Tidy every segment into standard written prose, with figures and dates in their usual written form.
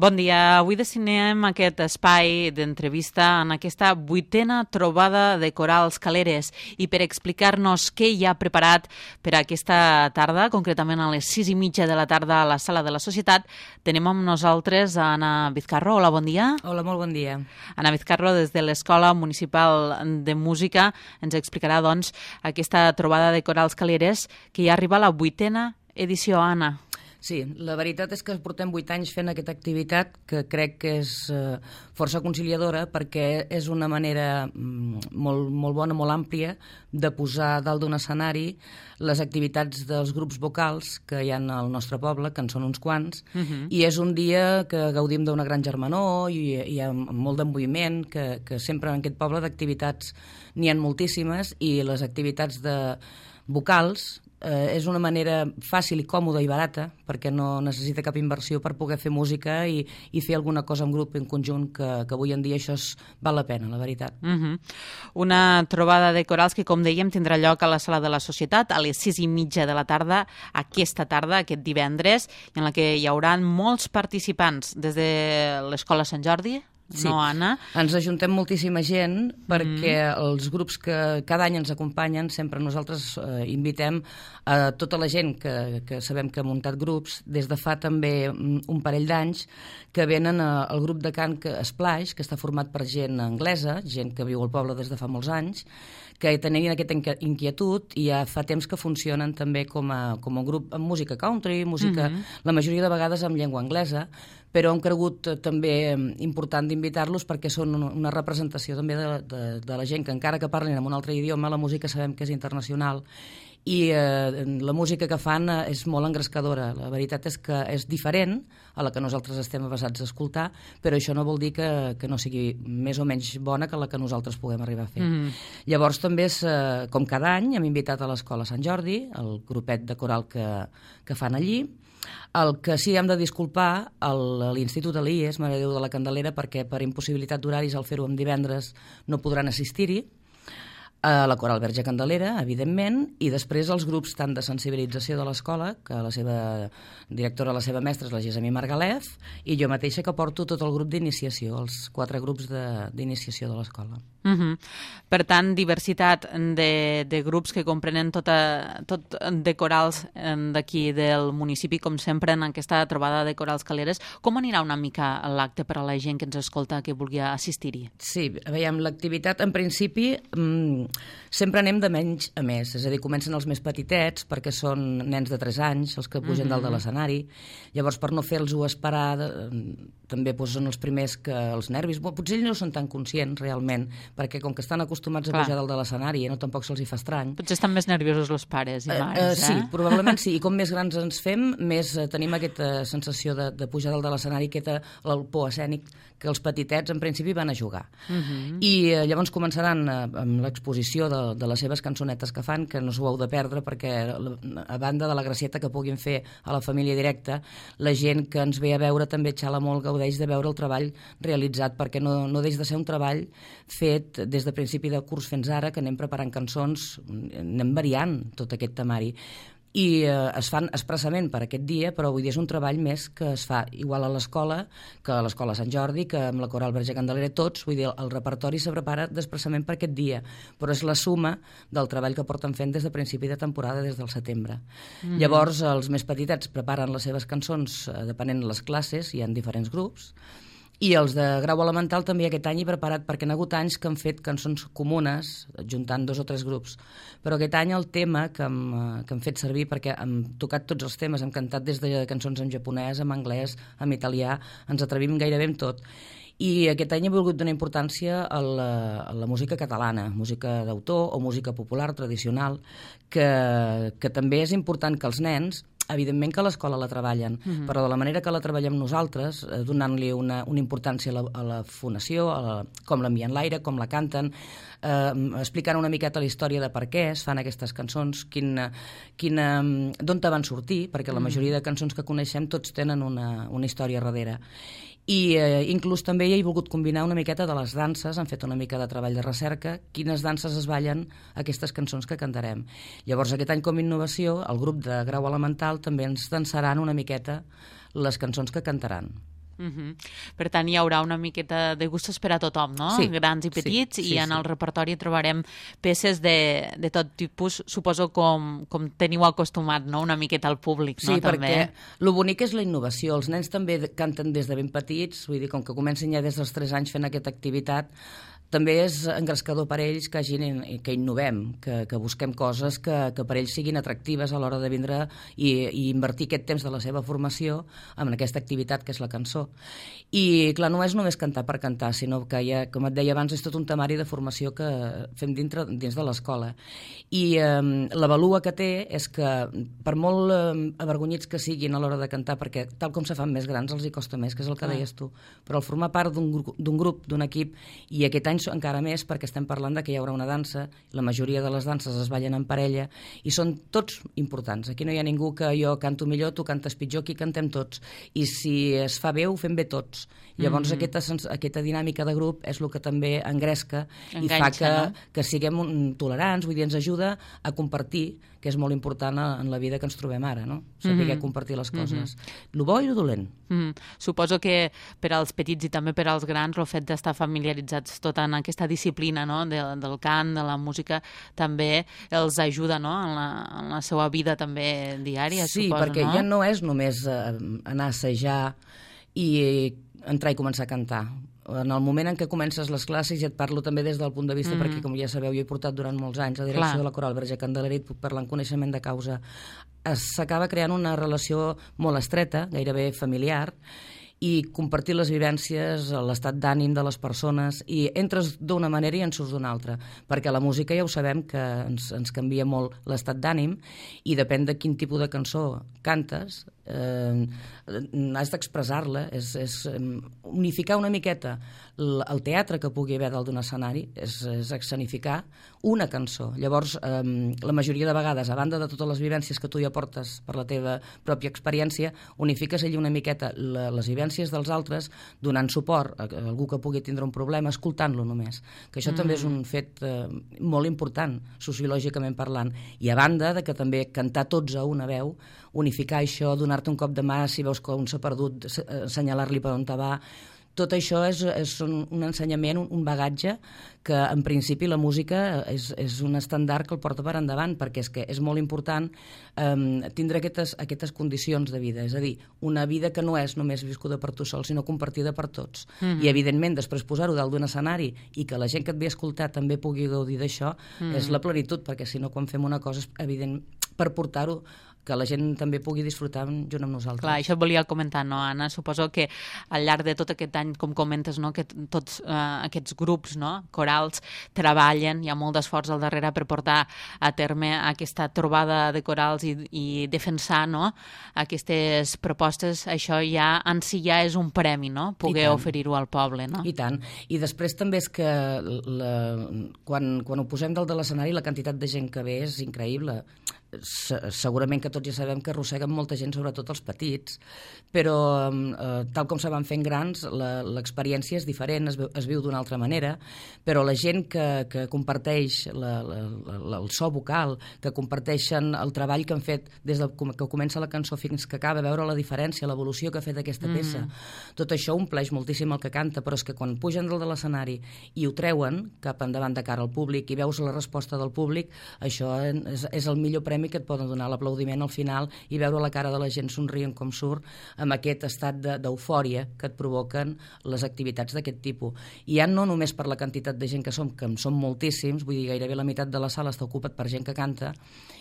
Bon dia. Avui destinem aquest espai d'entrevista en aquesta 8a trobada de corals caleres i per explicar-nos què hi ha preparat per aquesta tarda, concretament a les 6:30 de la tarda a la Sala de la Societat, tenim amb nosaltres a Anna Vizcarro. Hola, bon dia. Hola, molt bon dia. Anna Vizcarro, des de l'Escola Municipal de Música, ens explicarà, doncs, aquesta trobada de corals caleres que ja arriba a la 8a edició, Anna. Sí, la veritat és que portem 8 anys fent aquesta activitat que crec que és força conciliadora perquè és una manera molt bona, molt àmplia de posar dalt d'un escenari les activitats dels grups vocals que hi ha al nostre poble, que en són uns quants, i és un dia que gaudim d'una gran germanor i hi ha molt de moviment, que sempre en aquest poble d'activitats n'hi ha moltíssimes i les activitats de vocals és una manera fàcil i còmoda i barata perquè no necessita cap inversió per poder fer música i fer alguna cosa en grup, en conjunt, que avui en dia això val la pena, la veritat. Una trobada de corals que, com dèiem, tindrà lloc a la Sala de la Societat a les 6:30 de la tarda, aquest divendres, en la que hi haurà molts participants des de l'Escola Sant Jordi. Sí. No, Anna? Ens ajuntem moltíssima gent perquè els grups que cada any ens acompanyen, sempre nosaltres invitem a tota la gent que sabem que ha muntat grups, des de fa també un parell d'anys, que venen al grup de cant Splash, que està format per gent anglesa, gent que viu al poble des de fa molts anys, que tenien aquesta inquietud i ja fa temps que funcionen també com a grup amb música country, música, la majoria de vegades amb llengua anglesa, però hem cregut també important d'invitar-los perquè són una representació també de la gent que encara que parlin en un altre idioma, la música sabem que és internacional i la música que fan és molt engrescadora. La veritat és que és diferent a la que nosaltres estem avesats a escoltar, però això no vol dir que no sigui més o menys bona que la que nosaltres puguem arribar a fer. Llavors també és, com cada any, hem invitat a l'Escola Sant Jordi, el grupet de coral que fan allí. El que sí hem de disculpar a l'Institut de l'IES, Mare de Déu de la Candelera, perquè per impossibilitat d'horaris al fer-ho en divendres no podran assistir-hi, a la Coral Verge Candelera, evidentment, i després els grups tant de sensibilització de l'escola, que la seva directora, la seva mestra és la Gessamí Margalef, i jo mateixa que porto tot el grup d'iniciació, els 4 grups d'iniciació de l'escola. Per tant, diversitat de grups que comprenen tot de corals d'aquí del municipi, com sempre en aquesta trobada de corals caleres. Com anirà una mica l'acte per a la gent que ens escolta que vulgui assistir-hi? Sí, veiem l'activitat, en principi, sempre anem de menys a més, és a dir, comencen els més petitets perquè són nens de 3 anys, els que pugen dalt de l'escenari, llavors per no fer-los-ho esperar també són els primers que els nervis, potser ells no són tan conscients realment, perquè com que estan acostumats a pujar dalt de l'escenari no tampoc se'ls hi fa estrany. Potser estan més nerviosos els pares i mares, Sí, probablement sí, i com més grans ens fem, més tenim aquesta sensació de pujar dalt de l'escenari, el por escènic, que els petitets en principi van a jugar. I llavors començaran amb l'exposició de les seves cançonetes que fan, que no s'ho heu de perdre perquè a banda de la gracieta que puguin fer a la família directa, la gent que ens ve a veure també xala molt, gaudeix de veure el treball realitzat, perquè no deix de ser un treball fet des de principi de curs fins ara, que anem preparant cançons, anem variant tot aquest temari i es fan expressament per aquest dia, però vull dir, és un treball més que es fa igual a l'escola, que a l'Escola Sant Jordi, que amb la Coral Verge Candelera, tots, vull dir, el repertori se prepara expressament per aquest dia, però és la suma del treball que porten fent des de principi de temporada, des del setembre. Llavors, els més petitets preparen les seves cançons depenent de les classes, hi ha diferents grups, i els de grau elemental també aquest any he preparat, perquè hi ha hagut anys que han fet cançons comunes, juntant 2 o 3 grups. Però aquest any el tema que hem fet servir, perquè hem tocat tots els temes, hem cantat des de cançons en japonès, en anglès, en italià, ens atrevim gairebé en tot. I aquest any he volgut donar importància a la música catalana, música d'autor o música popular, tradicional, que també és important que els nens, evidentment que a l'escola la treballen, però de la manera que la treballem nosaltres, donant-li una importància a la fonació, com l'envien l'aire, com la canten, explicant una miqueta la història de per què es fan aquestes cançons, d'on te van sortir, perquè la majoria de cançons que coneixem tots tenen una història darrere. I inclús també hi he volgut combinar una miqueta de les danses, han fet una mica de treball de recerca, quines danses es ballen aquestes cançons que cantarem. Llavors aquest any com a innovació el grup de grau elemental també ens dansaran una miqueta les cançons que cantaran. Per tant, hi haurà una miqueta de gustos per a tothom, no? Sí, Grans i petits, sí, i en el repertori trobarem peces de tot tipus, suposo com teniu acostumat, no? Una miqueta al públic, no? Sí, També. perquè el bonic és la innovació. Els nens també canten des de ben petits, vull dir, com que comencen ja des dels 3 anys fent aquesta activitat, també és engrescador per ells que innovem, que busquem coses que per ells siguin atractives a l'hora de vindre i invertir aquest temps de la seva formació en aquesta activitat que és la cançó. I, clar, no és només cantar per cantar, sinó que, com et deia abans, és tot un temari de formació que fem dins de l'escola. I la valua que té és que, per molt avergonyits que siguin a l'hora de cantar, perquè tal com se fan més grans els hi costa més, que és el que deies tu, però al formar part d'un grup, d'un equip, i aquest any encara més perquè estem parlant de que hi haurà una dansa, la majoria de les danses es ballen en parella i són tots importants. Aquí no hi ha ningú que jo canto millor, tu cantes pitjor, aquí cantem tots. I si es fa bé, ho fem bé tots. Llavors aquesta dinàmica de grup és el que també engresca i fa que siguem tolerants, vull dir, ens ajuda a compartir, que és molt important en la vida que ens trobem ara, no? Saber compartir les coses. Lo bo i lo dolent. Suposo que per als petits i també per als grans el fet d'estar familiaritzats tot en aquesta disciplina, no? del cant, de la música, també els ajuda, no? en la seva vida també diària, sí, suposo, perquè no? ja no és només anar a assajar i entrar i començar a cantar. En el moment en què comences les classes, ja et parlo també des del punt de vista, perquè com ja sabeu, jo he portat durant molts anys la direcció de la Coral Verge Candeler i puc parlar en coneixement de causa. S'acaba creant una relació molt estreta, gairebé familiar, i compartir les vivències, l'estat d'ànim de les persones, i entres d'una manera i en surts d'una altra, perquè la música ja ho sabem que ens canvia molt l'estat d'ànim, i depèn de quin tipus de cançó cantes, has d'expressar-la, és unificar una miqueta el teatre que pugui haver dalt d'un escenari, és escenificar una cançó. Llavors, la majoria de vegades, a banda de totes les vivències que tu ja portes per la teva pròpia experiència, unifiques allí una miqueta les vivències dels altres, donant suport a algú que pugui tindre un problema, escoltant-lo només. Que això també és un fet molt important, sociològicament parlant. I a banda de que també cantar tots a una veu, unificar això, donar-te un cop de mà si veus que un s'ha perdut, assenyalar-li per on te va. Tot això és un ensenyament, un bagatge que en principi la música és un estàndard que el porta per endavant, perquè és que és molt important tindre aquestes condicions de vida, és a dir, una vida que no és només viscuda per tu sol, sinó compartida per tots. I evidentment després posar-ho dalt d'un escenari i que la gent que et ve a escoltar també pugui gaudir d'això és la plenitud, perquè si no quan fem una cosa és evident per portar-ho que la gent també pugui disfrutar junt amb nosaltres. Clar, això et volia comentar, no, Anna? Suposo que al llarg de tot aquest any, com comentes, no, que tots aquests grups, no, corals treballen, hi ha molt d'esforç al darrere per portar a terme aquesta trobada de corals i defensar, no, aquestes propostes. Això ja en si ja és un premi, no?, poder oferir-ho al poble, no? I tant. I després també és que quan ho posem dalt de l'escenari la quantitat de gent que ve és increïble. Segurament que tots ja sabem que arrosseguen molta gent, sobretot els petits, però tal com se van fent grans l'experiència és diferent, es viu d'una altra manera, però la gent que comparteix el so vocal, que comparteixen el treball que han fet des que comença la cançó fins que acaba, veure la diferència, l'evolució que ha fet aquesta peça, tot això ompleix moltíssim el que canta, però és que quan pugen dalt de l'escenari i ho treuen cap endavant de cara al públic i veus la resposta del públic, això és el millor premi que et poden donar, l'aplaudiment al final i veure la cara de la gent somrient com surt amb aquest estat d'eufòria que et provoquen les activitats d'aquest tipus. I ja no només per la quantitat de gent que som moltíssims, vull dir, gairebé la meitat de la sala està ocupat per gent que canta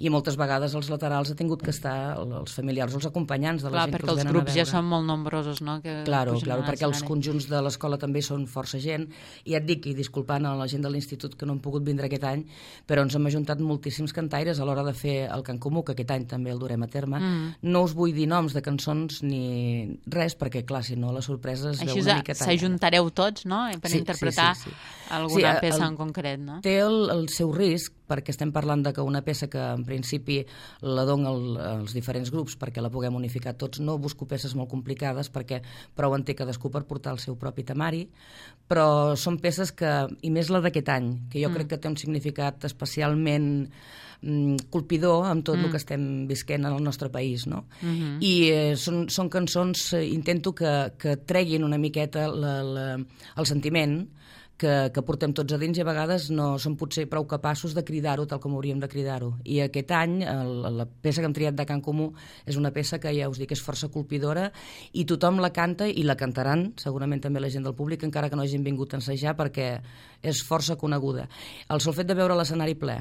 i moltes vegades als laterals ha tingut que estar els familiars o els acompanyants de la gent que els venen a veure. Perquè els grups ja són molt nombrosos, no? Claro, perquè els conjunts de l'escola també són força gent i ja et dic, i disculpant a la gent de l'institut que no han pogut vindre aquest any, però ens hem ajuntat moltíssims cantaires a l'hora de fer el cant comú, que aquest any també el durem a terme. No us vull dir noms de cançons ni res, perquè clar, si no la sorpresa es veu una mica talla. S'ajuntareu tots, no?, per interpretar. Sí. alguna peça en concret, no? Té el seu risc, perquè estem parlant de que una peça que en principi la dona als diferents grups perquè la puguem unificar tots, no busco peces molt complicades perquè prou en té cadascú per portar el seu propi temari, però són peces que, i més la d'aquest any, que jo crec que té un significat especialment colpidor amb tot el que estem visquent en el nostre país, no? I són cançons, intento que treguin una miqueta el sentiment que portem tots a dins i a vegades no som potser prou capaços de cridar-ho tal com hauríem de cridar-ho. I aquest any la peça que hem triat de Can Comú és una peça que ja us dic és força colpidora i tothom la canta i la cantaran, segurament també la gent del públic, encara que no hagin vingut a ensejar perquè és força coneguda. El sol fet de veure l'escenari ple,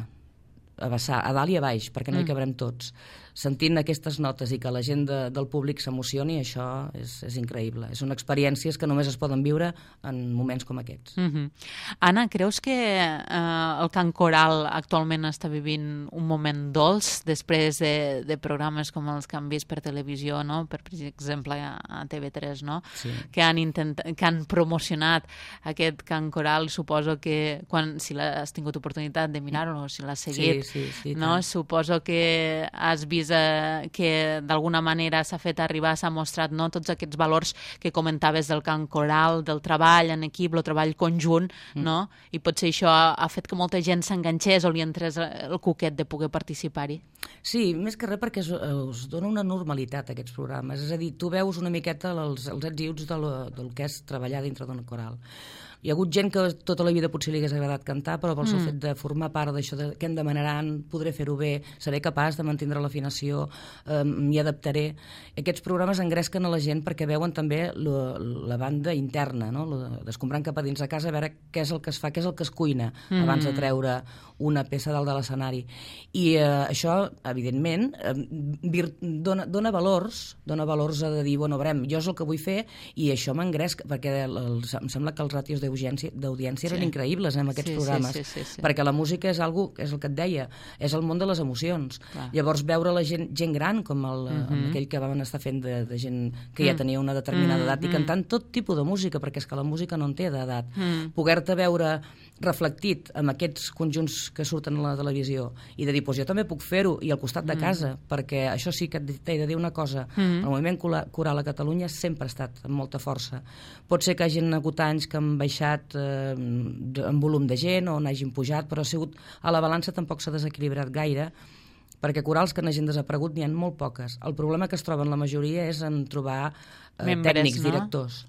a dalt i a baix, perquè no hi cabrem tots, sentint aquestes notes i que la gent del públic s'emocioni, això és increïble. Són experiències que només es poden viure en moments com aquests. Anna, creus que el cant coral actualment està vivint un moment dolç després de programes com els que han vist per televisió, no? Per exemple, a TV3, no? Sí. Que han promocionat aquest cant coral? Suposo que si has tingut oportunitat de mirar-ho o si l'has seguit, sí, no? Suposo que has vist que d'alguna manera s'ha fet arribar, s'ha mostrat, no, tots aquests valors que comentaves del cant coral, del treball en equip, el treball conjunt, no? I potser això ha fet que molta gent s'enganxés o li entrés el cuquet de poder participar-hi. Sí, més que res perquè us dona una normalitat aquests programes, és a dir, tu veus una miqueta els ets i uts del que és treballar dintre d'un coral. Hi ha hagut gent que tota la vida potser li hagués agradat cantar, però pel seu fet de formar part d'això, què em demanaran, podré fer-ho bé, seré capaç de mantindre l'afinació, m'hi adaptaré. Aquests programes engresquen a la gent perquè veuen també la banda interna, no? Descombrant cap a dins de casa a veure què és el que es fa, què és el que es cuina abans de treure una peça dalt de l'escenari. I això, evidentment, dona valors a dir, bueno, veurem, jo és el que vull fer i això m'engresca, perquè em sembla que els ràtios d'audiència eren increïbles en aquests programes, perquè la música és el que et deia, és el món de les emocions. Llavors veure la gent gran com aquell que van estar fent de gent que ja tenia una determinada edat i cantant tot tipus de música, perquè és que la música no en té d'edat. Poder-te veure reflectit amb aquests conjunts que surten a la televisió i de dir, doncs jo també puc fer-ho i al costat de casa, perquè això sí que t'he de dir una cosa, el moviment coral a Catalunya sempre ha estat amb molta força. Pot ser que hagin hagut anys que han baixat en volum de gent o n'hagin pujat, però ha sigut a la balança tampoc s'ha desequilibrat gaire, perquè corals que n'hagin desaparegut n'hi ha molt poques. El problema que es troben la majoria és en trobar tècnics, directors.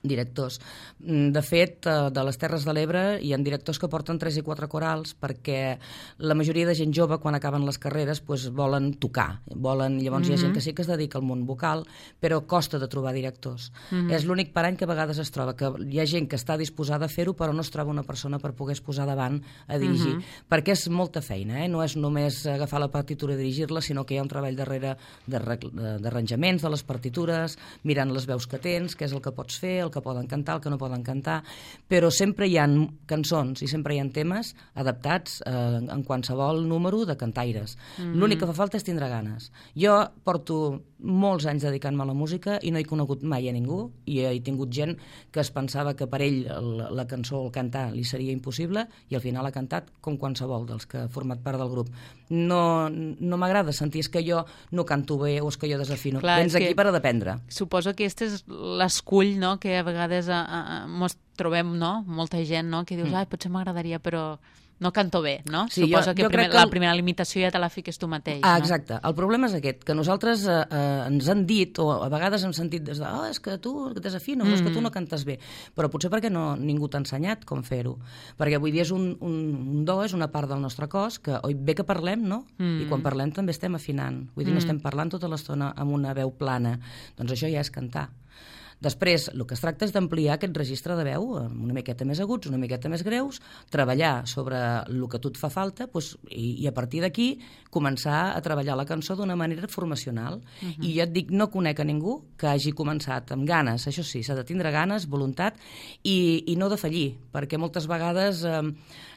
Directors. De fet, de les Terres de l'Ebre hi ha directors que porten 3 i 4 corals perquè la majoria de gent jove, quan acaben les carreres, volen tocar. Llavors hi ha gent que sí que es dedica al món vocal, però costa de trobar directors. És l'únic parany que a vegades es troba, que hi ha gent que està disposada a fer-ho, però no es troba una persona per poder posar davant a dirigir. Perquè és molta feina, no és només agafar la partitura i dirigir-la, sinó que hi ha un treball darrere d'arranjaments de les partitures, mirant les veus que tens, què és el que pots fer, el que poden cantar, el que no poden cantar, però sempre hi ha cançons i sempre hi ha temes adaptats en qualsevol número de cantaires. L'únic que fa falta és tindre ganes. Jo porto molts anys dedicant-me a la música i no he conegut mai a ningú, i he tingut gent que es pensava que per ell la cançó o el cantar li seria impossible i al final ha cantat com qualsevol dels que ha format part del grup. No m'agrada sentir és que jo no canto bé o és que jo desafino. Vens aquí per a dependre. Suposo que aquest és l'escull, no?, que a vegades mos trobem, no?, molta gent, no?, que dius, potser m'agradaria, però no canto bé, no? Sí, suposo que la primera limitació ja te la fiques tu mateix, no? Exacte. El problema és aquest, que nosaltres ens han dit, o a vegades hem sentit des de és que tu desafines, és que tu no cantes bé, però potser perquè ningú t'ha ensenyat com fer-ho. Perquè vull dir, és un do, és una part del nostre cos, que bé que parlem, no? I quan parlem també estem afinant. Vull dir, no estem parlant tota l'estona amb una veu plana. Doncs això ja és cantar. Després, el que es tracta és d'ampliar aquest registre de veu, una miqueta més aguts, una miqueta més greus, treballar sobre el que a tu et fa falta i a partir d'aquí començar a treballar la cançó d'una manera formacional. I jo et dic, no conec a ningú que hagi començat amb ganes, això sí, s'ha de tindre ganes, voluntat i no defallir, perquè moltes vegades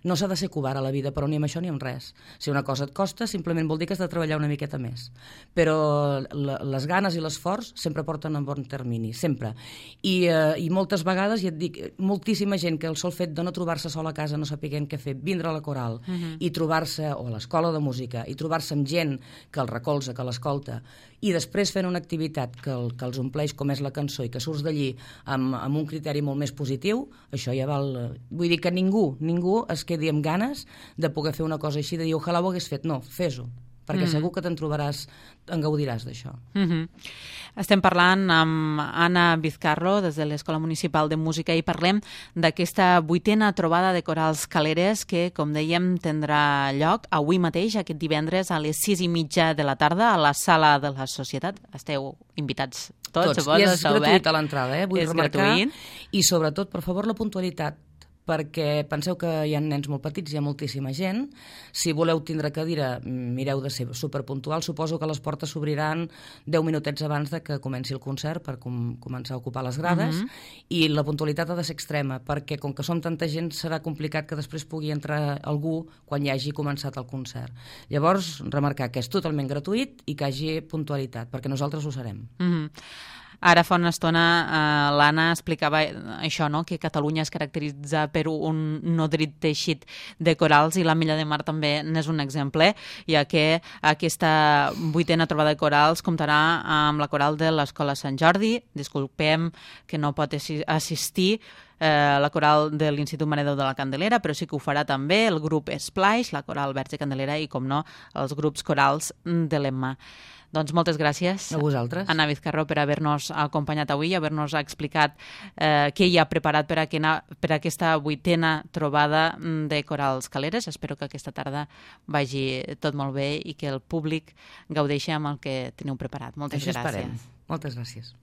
no s'ha de ser covard a la vida, però ni amb això ni amb res. Si una cosa et costa, simplement vol dir que has de treballar una miqueta més. Però les ganes i l'esforç sempre porten en bon termini, sempre. sempre. I moltes vegades, ja et dic, moltíssima gent que el sol fet de no trobar-se sol a casa, no sapiguent què fer, vindre a la coral i trobar-se, o a l'escola de música, i trobar-se amb gent que el recolza, que l'escolta, i després fent una activitat que els ompleix com és la cançó i que surts d'allí amb un criteri molt més positiu, això ja val... Vull dir que ningú es quedi amb ganes de poder fer una cosa així, de dir, ojalà ho hagués fet. No, fes-ho, perquè segur que en gaudiràs d'això. Estem parlant amb Anna Vizcarro des de l'Escola Municipal de Música i parlem d'aquesta 8a trobada de corals caleres que, com dèiem, tindrà lloc avui mateix, aquest divendres, a les 6:30 de la tarda, a la Sala de la Societat. Esteu invitats tots. I és gratuït a l'entrada, vull remarcar. Gratuït. I sobretot, per favor, la puntualitat, perquè penseu que hi ha nens molt petits, hi ha moltíssima gent. Si voleu tindre cadira, mireu de ser superpuntuals. Suposo que les portes s'obriran 10 minutets abans de que comenci el concert per començar a ocupar les grades, i la puntualitat ha de ser extrema, perquè com que som tanta gent serà complicat que després pugui entrar algú quan ja hagi començat el concert. Llavors, remarcar que és totalment gratuït i que hi hagi puntualitat, perquè nosaltres ho serem. Ara fa una estona l'Anna explicava això, no? Que Catalunya es caracteritza per un nodrit teixit de corals i la Milla de Mar també n'és un exemple, ja que aquesta 8a trobada de corals comptarà amb la coral de l'Escola Sant Jordi, disculpem que no pot assistir la coral de l'Institut Mare de Déu de la Candelera, però sí que ho farà també el grup Splash, la coral Verge Candelera i, com no, els grups corals de l'Emma. Doncs moltes gràcies a vosaltres, Anna Vizcarro, per haver-nos acompanyat avui i haver-nos explicat què hi ha preparat per aquesta 8a trobada de corals caleres. Espero que aquesta tarda vagi tot molt bé i que el públic gaudeixi amb el que teniu preparat. Moltes gràcies. Moltes gràcies.